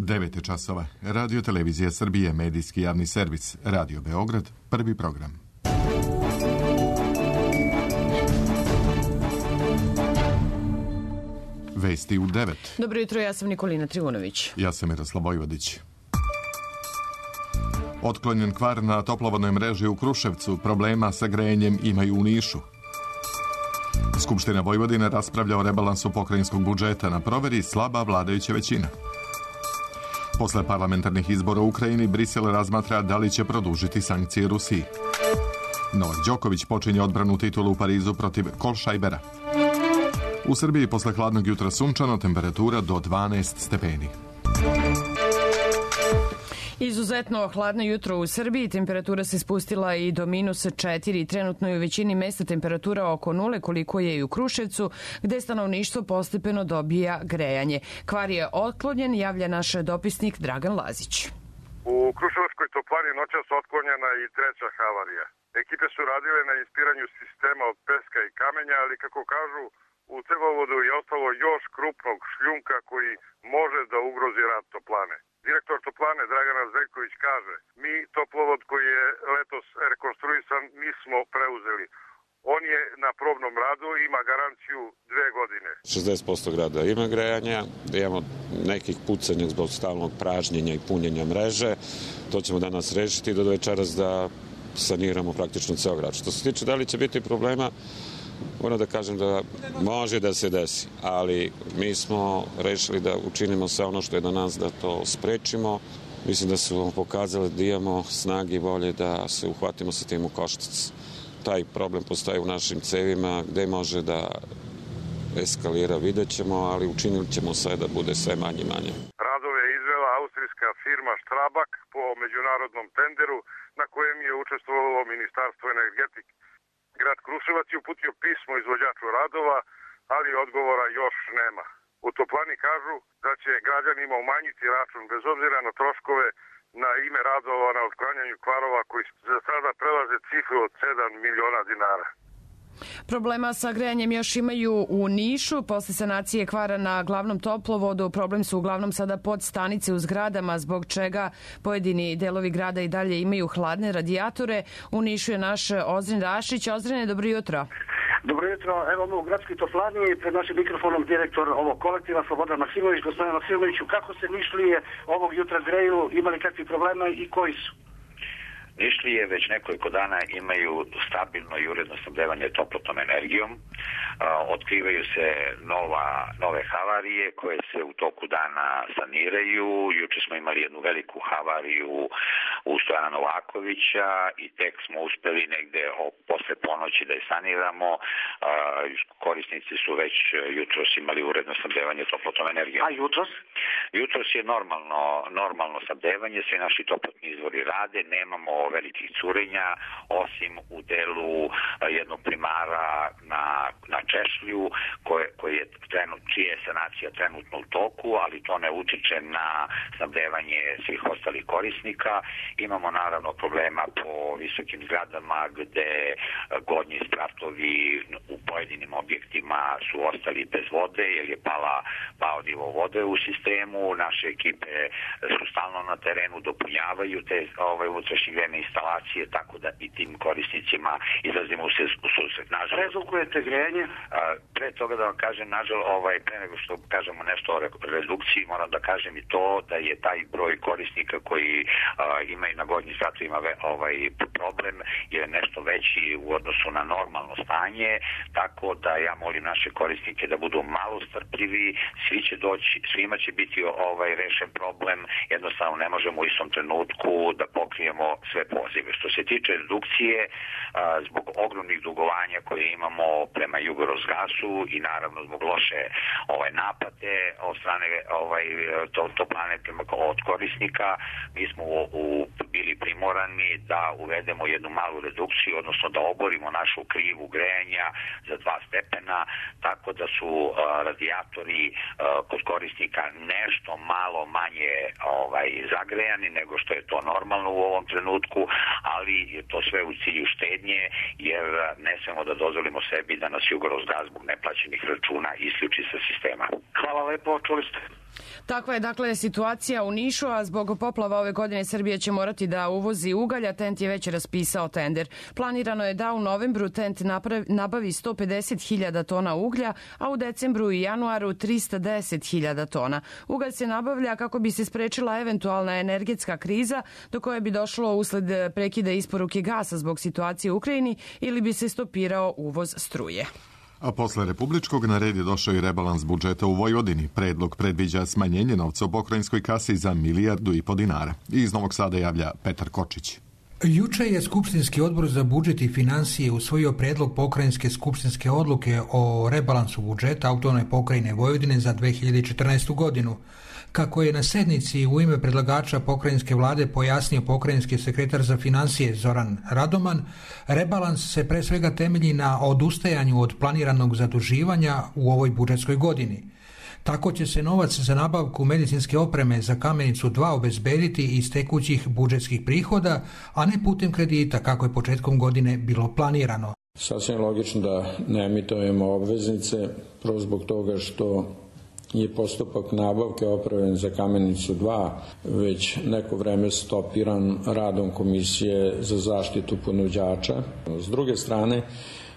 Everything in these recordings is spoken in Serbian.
9 časova. Radio Televizija Srbije, medijski javni servis. Radio Beograd, prvi program. Vesti u 9. Dobro jutro, ja sam Nikolina Trivunović. Ja sam Miroslav Vojvodić. Otklonjen kvar na toplovodnoj mreži u Kruševcu, problema sa grejanjem imaju u Nišu. Skupština Vojvodine raspravlja o rebalansu pokrajinskog budžeta, na proveri slaba vladajuća većina. Posle parlamentarnih izbora u Ukrajini, Brisel razmatra da li će produžiti sankcije Rusiji. Novak Đoković počinje odbranu titulu u Parizu protiv Kolšajbera. U Srbiji posle hladnog jutra sunčano, temperatura do 12 stepeni. Izuzetno hladno jutro u Srbiji, temperatura se spustila i do -4. Trenutno je u većini mesta temperatura oko 0, koliko je i u Kruševcu, gde stanovništvo postepeno dobija grejanje. Kvar je otklonjen, javlja naš dopisnik Dragan Lazić. U Kruševačkoj toplani noćas otklonjena i treća havarija. Ekipe su radile na ispiranju sistema od peska i kamenja, ali kako kažu, u cevovodu je ostalo još krupnog šljunka koji može da ugrozi rad toplane. Direktor toplane Dragana Zeljković kaže, mi toplovod koji je letos rekonstruisan nismo preuzeli. On je na probnom radu, ima garanciju 2 godine. 60% grada ima grejanja, da imamo nekih pucanja zbog stalnog pražnjenja i punjenja mreže. To ćemo danas rešiti do večeras da saniramo praktično ceo grad. Što se tiče da li će biti problema, moram da kažem da može da se desi, ali mi smo rešili da učinimo sve ono što je do nas da to sprečimo. Mislim da su pokazali da imamo snage i volje da se uhvatimo sa tim u koštac. Taj problem postoji u našim cevima, gde može da eskalira, vidjet ćemo, ali učinili ćemo sve da bude sve manje i manje. Radove je izvela austrijska firma Strabag po međunarodnom tenderu na kojem je učestvovalo Ministarstvo energetike. Grad Kruševac je uputio pismo izvođaču radova, ali odgovora još nema. U toplani kažu da će građanima umanjiti račun bez obzira na troškove na ime radova na otklanjanju kvarova koji za sada prelaze cifru od 7 miliona dinara. Problema sa grejanjem još imaju u Nišu. Posle sanacije kvara na glavnom toplovodu, problem su uglavnom sada podstanice u zgradama, zbog čega pojedini delovi grada i dalje imaju hladne radijatore. U Nišu je naš Ozren Rašić. Ozrene, dobro jutro. Dobro jutro, evo u gradskoj toplani, pred našim mikrofonom direktor ovog kolektiva Slobodan Maksimović. Gospodine Maksimoviću, kako se Nišlije ovog jutra greju, imali kakvi problema i koji su? Nišlije već nekoliko dana imaju stabilno i uredno snabdevanje toplotnom energijom. Otkrivaju se nove havarije koje se u toku dana saniraju. Juče smo imali jednu veliku havariju u Stojana Novakovića i tek smo uspeli negde posle ponoći da je saniramo. Korisnici su već jutros imali uredno snabdevanje toplotnom energijom. A jutros? Jutros je normalno snabdevanje, sve naši toplotni izvori rade, nemamo velikih curenja, osim u delu jednog primara na Češlju, čija je sanacija trenutno u toku, ali to ne utiče na snabdevanje svih ostalih korisnika. Imamo naravno problema po visokim zgradama gde gornji spratovi u pojedinim objektima su ostali bez vode jer je pao nivo vode u sistemu. Naše ekipe su stalno na terenu, dopunjavaju te unutrašnje grejne instalacije, tako da i tim korisnicima izlazimo u susret. Redukujete grejanje? Pre toga da vam kažem, pre nego što kažemo nešto o redukciji, moram da kažem i to da je taj broj korisnika koji imaju na gornjim spratovima problem je nešto veći u odnosu na normalno stanje, tako da ja molim naše korisnike da budu malo strpljivi, svi će doći, svima će biti rešen problem, jednostavno ne možemo u istom trenutku da pokrijemo sve pozive. Što se tiče redukcije, zbog ogromnih dugovanja koje imamo prema Jugorosgasu i naravno zbog loše naplate od strane toplane od korisnika, mi smo bili primorani da uvedemo jednu malu redukciju, odnosno da oborimo našu krivu grejanja za 2 stepena, tako da su radijatori kod korisnika nešto malo manje zagrejani nego što je to normalno u ovom trenutku, ali je to sve u cilju štednje, jer ne smemo da dozvolimo sebi da nas Jugorosgas zbog neplaćenih računa isključi sa sistema. Hvala lepo, čuli ste. Takva je dakle situacija u Nišu, a zbog poplava ove godine Srbija će morati da uvozi ugalj, a TENT je već raspisao tender. Planirano je da u novembru TENT nabavi 150.000 tona uglja, a u decembru i januaru 310.000 tona. Ugalj se nabavlja kako bi se sprečila eventualna energetska kriza do koje bi došlo usled prekida isporuke gasa zbog situacije u Ukrajini ili bi se stopirao uvoz struje. A posle republičkog na red je došao i rebalans budžeta u Vojvodini. Predlog predviđa smanjenje novca u pokrajinskoj kasi za 1,5 milijardu dinara. Iz Novog Sada javlja Petar Kočić. Juče je Skupštinski odbor za budžet i finansije usvojio predlog pokrajinske skupštinske odluke o rebalansu budžeta autonomne pokrajine Vojvodine za 2014. godinu. Kako je na sednici u ime predlagača pokrajinske vlade pojasnio pokrajinski sekretar za finansije Zoran Radoman, rebalans se pre svega temelji na odustajanju od planiranog zaduživanja u ovoj budžetskoj godini. Tako će se novac za nabavku medicinske opreme za Kamenicu 2 obezbediti iz tekućih budžetskih prihoda, a ne putem kredita kako je početkom godine bilo planirano. Sasvim logično da ne emitujemo obveznice, prvo zbog toga što je postupak nabavke opreme za Kamenicu 2 već neko vreme stopiran radom Komisije za zaštitu ponuđača. S druge strane,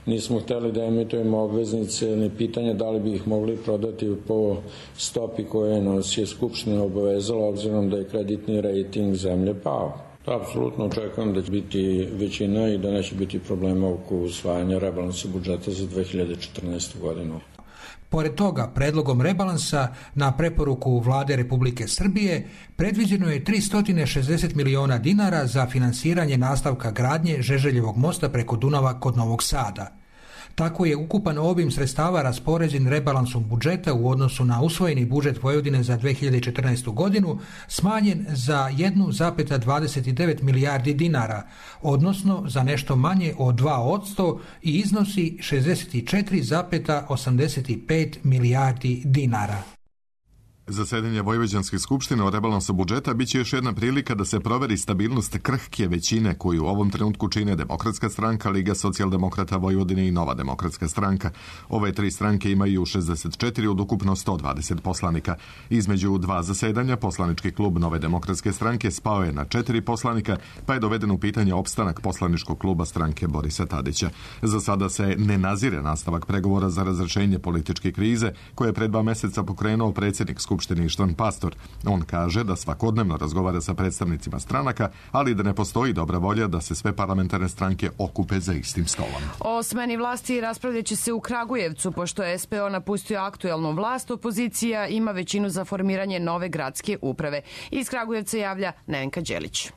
nismo hteli da emitujemo obveznice, ni pitanje da li bi ih mogli prodati po stopi koje nas je Skupština obavezala, obzirom da je kreditni rejting zemlje pao. Apsolutno očekujem da će biti većina i da neće biti problema oko usvajanja rebalansa budžeta za 2014. godinu. Pored toga, predlogom rebalansa na preporuku Vlade Republike Srbije predviđeno je 360 miliona dinara za finansiranje nastavka gradnje Žeželjevog mosta preko Dunava kod Novog Sada. Tako je ukupan obim sredstava raspoređen rebalansom budžeta u odnosu na usvojeni budžet Vojvodine za 2014. godinu smanjen za 1,29 milijardi dinara, odnosno za nešto manje od 2% i iznosi 64,85 milijardi dinara. Zasedanje Vojvođanske skupštine o rebalansu budžeta biće još jedna prilika da se proveri stabilnost krhke većine koju u ovom trenutku čine Demokratska stranka, Liga socijaldemokrata Vojvodine i Nova demokratska stranka. Ove tri stranke imaju 64 od ukupno 120 poslanika. Između dva zasedanja poslanički klub Nove demokratske stranke spao je na 4 poslanika, pa je doveden u pitanje opstanak poslaničkog kluba stranke Borisa Tadića. Za sada se ne nazire nastavak pregovora za razrešenje političke krize koje je pred 2 meseca pokrenuo predsjednik Skupštine Ištvan Pastor. On kaže da svakodnevno razgovara sa predstavnicima stranaka, ali da ne postoji dobra volja da se sve parlamentarne stranke okupe za istim stolom. O smeni vlasti raspravljaće se u Kragujevcu, pošto je SPO napustio aktuelnu vlast, opozicija ima većinu za formiranje nove gradske uprave. Iz Kragujevca javlja Nevenka Đelić.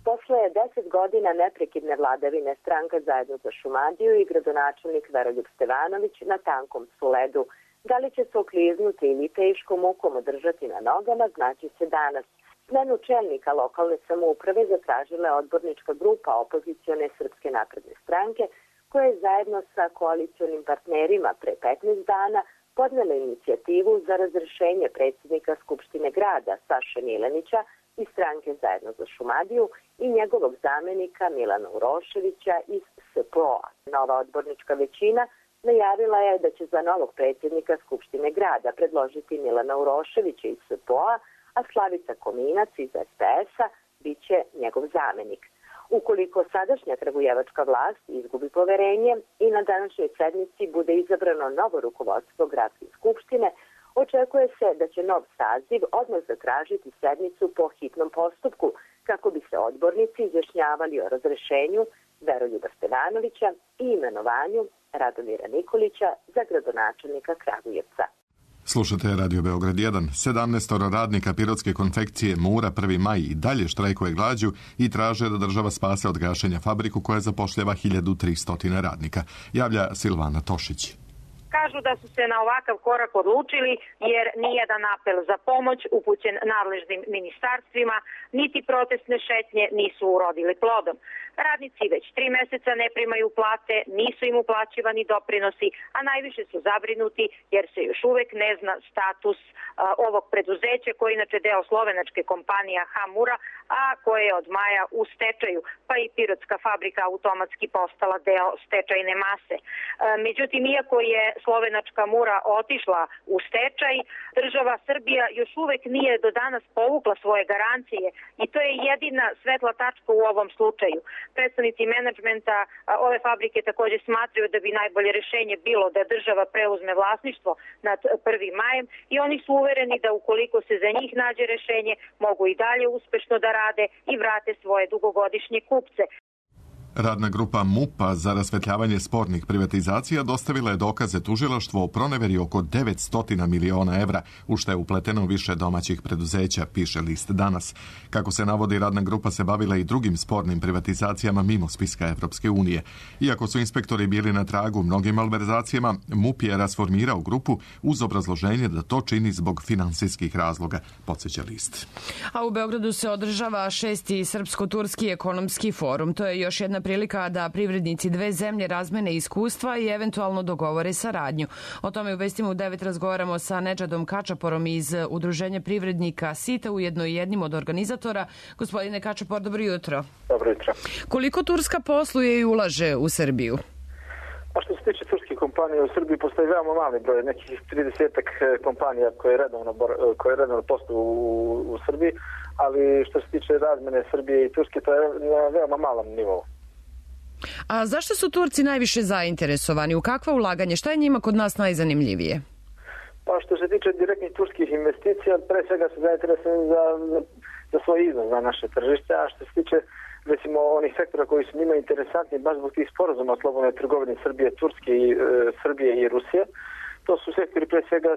Posle 10 godina neprekidne vladavine stranka Zajedno za Šumadiju i gradonačelnik Veroljub Stevanović na tankom su ledu. Da li će se okliznuti ili teškom mukom održati na nogama, znači se danas. Smenu čelnika lokalne samouprave zatražila je odbornička grupa opozicione Srpske napredne stranke, koja je zajedno sa koalicionim partnerima pre 15 dana podnela inicijativu za razrešenje predsjednika Skupštine grada Saše Milenića iz stranke Zajedno za Šumadiju i njegovog zamenika Milana Uroševića iz SPO-a. Nova odbornička većina najavila je da će za novog predsjednika Skupštine grada predložiti Milana Uroševića iz SPO-a, a Slavica Kominac iz SPS-a bit će njegov zamenik. Ukoliko sadašnja kragujevačka vlast izgubi poverenje i na današnjoj sednici bude izabrano novo rukovodstvo gradske skupštine, očekuje se da će nov saziv odmah zatražiti sednicu po hitnom postupku kako bi se odbornici izjašnjavali o razrešenju Veroljuba Stevanovića i imenovanju Radomira Nikolića za gradonačelnika Kragujevca. Slušate Radio Beograd 1. 17 radnika pirotske konfekcije Mura 1. maj i dalje štrajkuje glađu i traže da država spase od gašenja fabriku koja zapošljava 1300 radnika. Javlja Silvana Tošić. Kažu da su se na ovakav korak odlučili jer nijedan apel za pomoć upućen nadležnim ministarstvima niti protestne šetnje nisu urodili plodom. Radnici već 3 meseca ne primaju plate, nisu im uplaćivani doprinosi, a najviše su zabrinuti jer se još uvek ne zna status ovog preduzeća koji je inače deo slovenačke kompanija Hamura, a koje je od maja u stečaju, pa i pirotska fabrika automatski postala deo stečajne mase. Međutim, iako je slovenačka Mura otišla u stečaj, država Srbija još uvek nije do danas povukla svoje garancije i to je jedina svetla tačka u ovom slučaju. Predstavnici menadžmenta ove fabrike također smatraju da bi najbolje rešenje bilo da država preuzme vlasništvo nad 1. majem i oni su uvereni da ukoliko se za njih nađe rešenje mogu i dalje uspešno da rade i vrate svoje dugogodišnje kupce. Radna grupa MUP-a za rasvetljavanje spornih privatizacija dostavila je dokaze tužilaštvu o proneveri oko 900 miliona evra, u što je upleteno više domaćih preduzeća, piše list Danas. Kako se navodi, radna grupa se bavila i drugim spornim privatizacijama mimo spiska Evropske unije. Iako su inspektori bili na tragu mnogim malverzacijama, MUP je rasformirao grupu uz obrazloženje da to čini zbog finansijskih razloga, podsjeća list. A u Beogradu se održava 6. Srpsko-turski ekonomski forum. To je još jedna prilika da privrednici dve zemlje razmene iskustva i eventualno dogovore saradnju. O tome u Vestima u 9 razgovaramo sa Nedžadom Kačaporom iz Udruženja privrednika SITA, ujedno i jednim od organizatora. Gospodine Kačapor, dobro jutro. Dobro jutro. Koliko Turska posluje i ulaže u Srbiju? Pa što se tiče turskih kompanija u Srbiji, postoji veoma mali broj, nekih 30-ak kompanija koje redovno posluju u Srbiji, ali što se tiče razmene Srbije i Turske, to je na veoma malom nivou. A zašto su Turci najviše zainteresovani? U kakva ulaganje? Šta je njima kod nas najzanimljivije? Pa što se tiče direktnih turskih investicija, pre svega su zainteresovani za svoj iznos na naše tržište, a što se tiče recimo onih sektora koji su njima interesantni baš zbog tih sporazuma o slobodnoj trgovini Srbije i Rusije, to su sektori, pre svega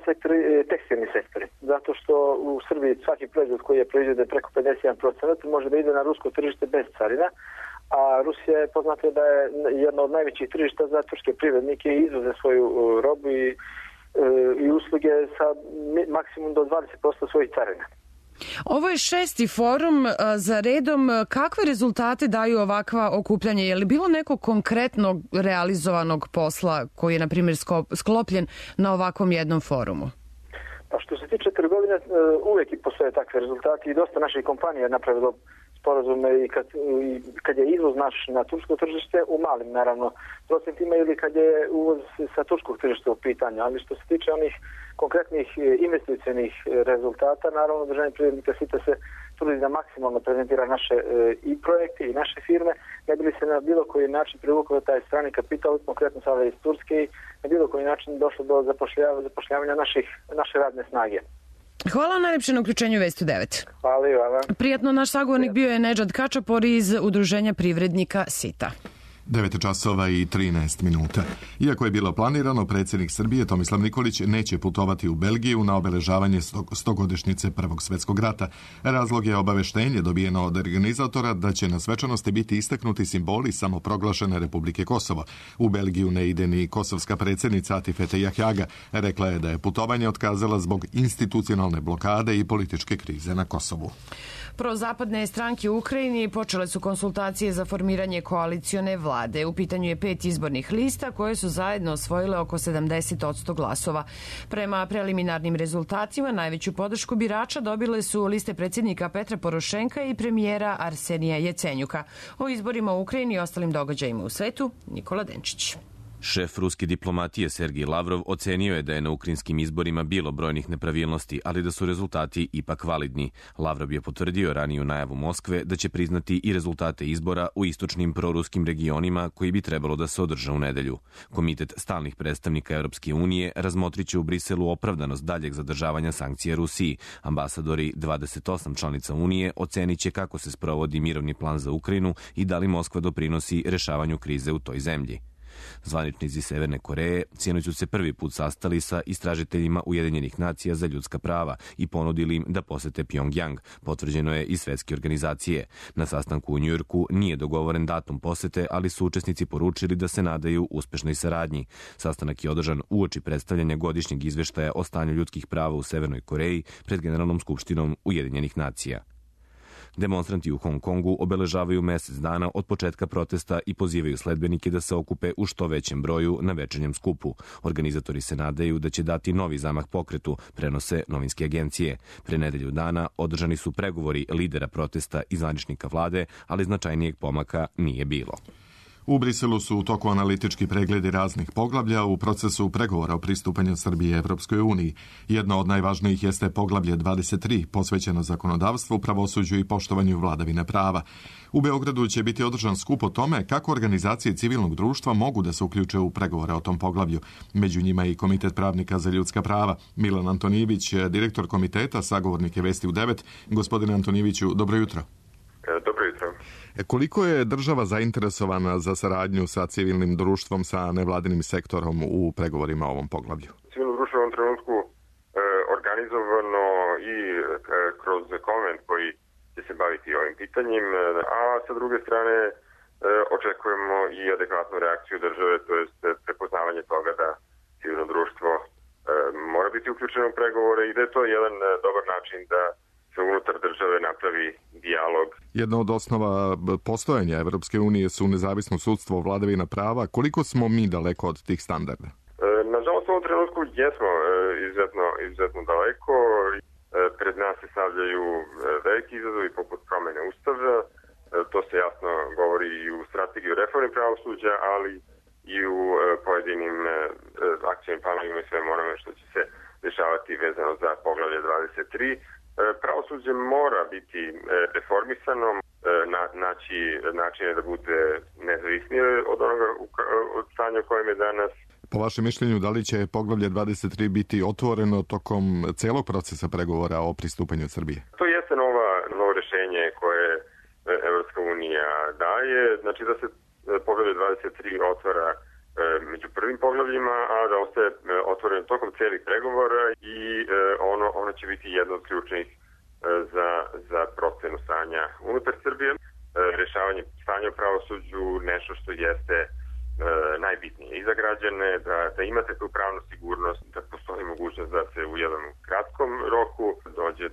tekstilni sektori. Zato što u Srbiji svaki proizvod koji je proizveden preko 51% može da ide na rusko tržište bez carina, a Rusija je poznata da je jedna od najvećih tržišta za turske privrednike i izvoze svoju robu i usluge sa maksimum do 20% svojih carina. Ovo je 6. forum za redom. Kakve rezultate daju ovakva okupljanja? Je li bilo nekog konkretnog realizovanog posla koji je, na primjer, sklopljen na ovakvom jednom forumu? Pa što se tiče trgovine, uvijek i postoje takve rezultate i dosta naših kompanija je napravilo sporazume i kad je izvoz naš na tursko tržište u malim, naravno, procentima ili kad je uvoz sa turskog tržišta u pitanju. Ali što se tiče onih konkretnih investicionih rezultata, naravno, Udruženje privrednika SITA se trudi da maksimalno prezentira naše i projekte i naše firme, ne bi li se na bilo koji način privukao taj strani kapital, konkretno sada iz Turske, i na bilo koji način došlo do zapošljavanja naše radne snage. Hvala najlepše na uključenju Vesti 9. Hvala i vama. Prijatno, naš sagovornik bio je Nedžad Kačapor iz Udruženja privrednika SITA. 9 časova i 13 minuta. Iako je bilo planirano, predsjednik Srbije Tomislav Nikolić neće putovati u Belgiju na obeležavanje 100-godišnjice Prvog svjetskog rata. Razlog je obaveštenje dobijeno od organizatora da će na svečanosti biti istaknuti simboli samoproglašene Republike Kosovo. U Belgiju ne ide ni kosovska predsjednica Atifete Jahjaga. Rekla je da je putovanje otkazala zbog institucionalne blokade i političke krize na Kosovu. Prozapadne stranke u Ukrajini počele su konsultacije za formiranje koalicione vlade. U pitanju je 5 izbornih lista koje su zajedno osvojile oko 70% glasova. Prema preliminarnim rezultatima najveću podršku birača dobile su liste predsjednika Petra Porošenka i premijera Arsenija Jecenjuka. O izborima u Ukrajini i ostalim događajima u svetu, Nikola Denčić. Šef ruske diplomatije Sergij Lavrov ocenio je da je na ukrajinskim izborima bilo brojnih nepravilnosti, ali da su rezultati ipak validni. Lavrov je potvrdio raniju najavu Moskve da će priznati i rezultate izbora u istočnim proruskim regionima koji bi trebalo da se održe u nedelju. Komitet stalnih predstavnika Europske unije razmotriće u Briselu opravdanost daljeg zadržavanja sankcija Rusiji. Ambasadori 28 članica Unije oceniće kako se sprovodi mirovni plan za Ukrajinu i da li Moskva doprinosi rešavanju krize u toj zemlji. Zvaničnici Severne Koreje sinoć su se prvi put sastali sa istražiteljima Ujedinjenih nacija za ljudska prava i ponudili im da posete Pjongjang, potvrđeno je iz svetske organizacije. Na sastanku u Njujorku nije dogovoren datum posete, ali su učesnici poručili da se nadaju uspešnoj saradnji. Sastanak je održan uoči predstavljanja godišnjeg izveštaja o stanju ljudskih prava u Severnoj Koreji pred Generalnom skupštinom Ujedinjenih nacija. Demonstranti u Hong Kongu obeležavaju mesec dana od početka protesta i pozivaju sledbenike da se okupe u što većem broju na večernjem skupu. Organizatori se nadaju da će dati novi zamah pokretu, prenose novinske agencije. Pre nedelju dana održani su pregovori lidera protesta i zvaničnika vlade, ali značajnijeg pomaka nije bilo. U Briselu su u toku analitički pregledi raznih poglavlja u procesu pregovora o pristupanju Srbije Evropskoj uniji. Jedno od najvažnijih jeste poglavlje 23, posvećeno zakonodavstvu, pravosuđu i poštovanju vladavine prava. U Beogradu će biti održan skup o tome kako organizacije civilnog društva mogu da se uključe u pregovore o tom poglavlju. Među njima i Komitet pravnika za ljudska prava. Milan Antonijević, direktor komiteta, sagovornik je Vesti u 9. Gospodine Antonijeviću, dobro jutro. Dobro jutro. Koliko je država zainteresovana za saradnju sa civilnim društvom, sa nevladinim sektorom u pregovorima o ovom poglavlju? Civilno društvo u ovom trenutku organizovano i kroz konvent koji će se baviti ovim pitanjem, a sa druge strane očekujemo i adekvatnu reakciju države, to je prepoznavanje toga da civilno društvo mora biti uključeno u pregovore i da je to jedan dobar način da se unutar države napravi dijalog. Jedna od osnova postojanja Evropske unije su nezavisno sudstvo, vladavina prava. Koliko smo mi daleko od tih standarda? Nažalost, u ovom trenutku jesmo izuzetno daleko. Pred nas se stavljaju veliki izazovi poput promene ustava. To se jasno govori i u strategiji reforme pravosuđa, ali i u pojedinim akcijnim planovima i svemu onome što će se dešavati vezano za poglavlje 23. Pravosuđe mora biti reformisano, naći načine da bude nezavisnije od onoga od stanja u kojem je danas. Po vašem mišljenju, da li će poglavlje 23 biti otvoreno tokom celog procesa pregovora o pristupanju Srbije? To jeste novo rešenje koje Evropska unija daje, znači da se poglavlje 23 otvara među prvim poglavljima, a da ostaje otvoreno tokom celih pregovora i ono će biti jedno od ključnih za procenu stanja unutar Srbije. Rešavanje stanja u pravosuđu nešto što jeste najbitnije i za građane, da imate tu pravnu sigurnost, da postoji mogućnost da se u jednom kratkom roku dođe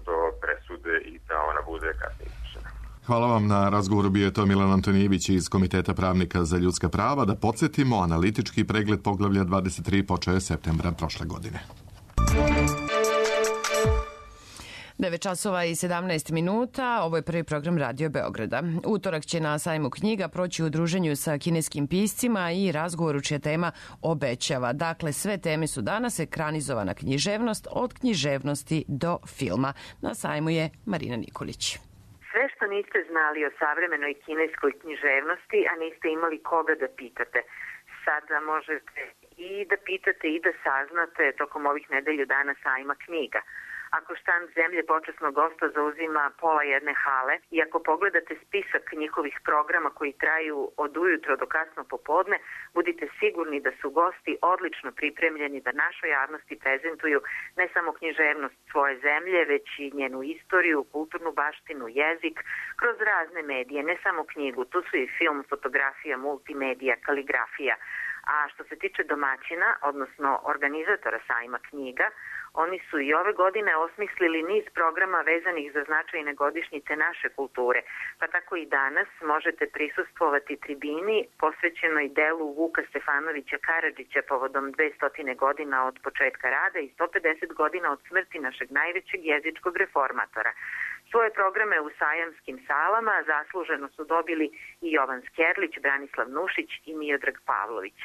do presude i da ona bude kasnije izvršena. Hvala vam na razgovoru. Bio je to Milan Antonijević iz Komiteta pravnika za ljudska prava. Da podsjetimo, analitički pregled poglavlja 23 počeo je septembra prošle godine. 9 časova i 17 minuta. Ovo je prvi program Radio Beograda. Utorak će na sajmu knjiga proći u druženju sa kineskim piscima i razgovoru čija tema obećava. Dakle, sve teme su danas ekranizovana književnost, od književnosti do filma. Na sajmu je Marina Nikolić. Sve što niste znali o savremenoj kineskoj književnosti, a niste imali koga da pitate, sada možete i da pitate i da saznate tokom ovih nedelju dana sajma knjiga. Ako štand zemlje počasnog gosta zauzima pola jedne hale i ako pogledate spisak njihovih programa koji traju od ujutro do kasno popodne, budite sigurni da su gosti odlično pripremljeni da našoj javnosti prezentuju ne samo književnost svoje zemlje, već i njenu istoriju, kulturnu baštinu, jezik, kroz razne medije, ne samo knjigu, tu su i film, fotografija, multimedija, kaligrafija. A što se tiče domaćina, odnosno organizatora sajma knjiga, oni su i ove godine osmislili niz programa vezanih za značajne godišnjice naše kulture, pa tako i danas možete prisustvovati tribini posvećenoj delu Vuka Stefanovića Karadžića povodom 200 godina od početka rada i 150 godina od smrti našeg najvećeg jezičkog reformatora. Svoje programe u sajamskim salama zasluženo su dobili i Jovan Skerlić, Branislav Nušić i Miodrag Pavlović.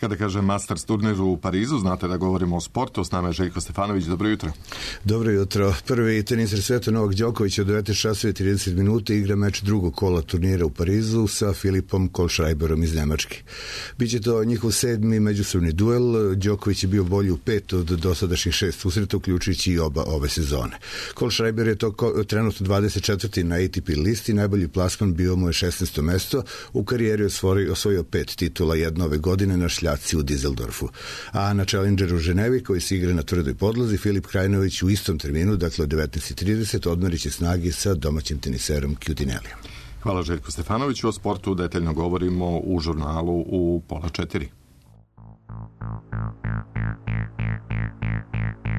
Kada kažem Masters turnir u Parizu, znate da govorimo o sportu. S nama je Željko Stefanović. Dobro jutro. Dobro jutro. Prvi teniser sveta Novak Đoković od 19 časova i 30 minuta igra meč drugog kola turnira u Parizu sa Filipom Kohlschreiberom iz Nemačke. Biće to njihov 7. međusobni duel. Đoković je bio bolji u 5 od dosadašnjih 6 susreta, uključujući i oba ove sezone. Kohlschreiber je to trenutno 24. na ATP listi. Najbolji plasman bio mu je 16. mesto. U karijeri osvojio 5 titula, jedno ove godine na u Dizeldorfu. A na Challengeru u Ženevi, koji se igra na tvrdoj podlozi, Filip Krajinović u istom terminu, dakle od 19.30, odmerit će snagi sa domaćim teniserom Kjutinelijom. Hvala Željku Stefanoviću. O sportu detaljno govorimo u žurnalu u 3:30.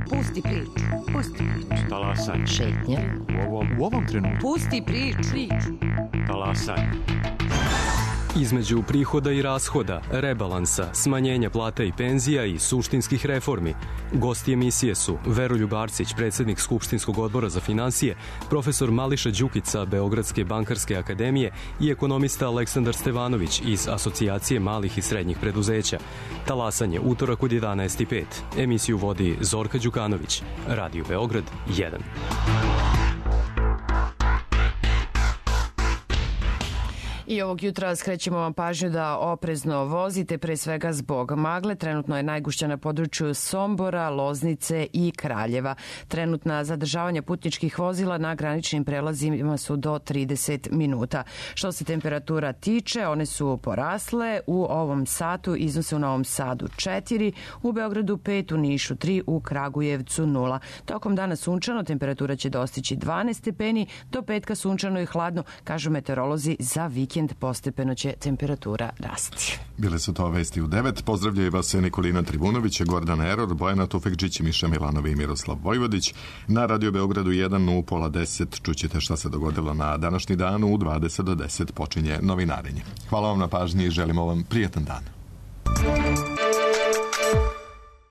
Pusti priču. Pusti priču. Talasaj. Šetnja. U ovom trenutku. Pusti priču. Talasaj. Između prihoda i rashoda, rebalansa, smanjenja plata i penzija i suštinskih reformi. Gosti emisije su Veroljub Arsić, predsjednik Skupštinskog odbora za finansije, profesor Mališa Đukica Beogradske bankarske akademije i ekonomista Aleksandar Stevanović iz Asocijacije malih i srednjih preduzeća. Talasanje utorak od 11:05. Emisiju vodi Zorka Đukanović. Radio Beograd 1. I ovog jutra skrećemo vam pažnju da oprezno vozite, pre svega zbog magle. Trenutno je najgušća na području Sombora, Loznice i Kraljeva. Trenutna zadržavanja putničkih vozila na graničnim prelazima su do 30 minuta. Što se temperatura tiče, one su porasle. U ovom satu iznose u Novom Sadu 4, u Beogradu 5, u Nišu 3, u Kragujevcu 0. Tokom dana sunčano, temperatura će dostići 12 stepeni, do petka sunčano i hladno, kažu meteorolozi, za vikend postepeno će temperatura rasti. Bile su to vesti u 9. Pozdravljaju vas Nikolina Tribunović, Gordana Eror, Bojana Tufekđić, Miša Milanova i Miroslav Vojvodić. Na Radio Beogradu 1 u 9:30 čućete šta se dogodilo na današnji dan. U 20 do 10 počinje novinarenje. Hvala vam na pažnji i želimo vam prijatan dan.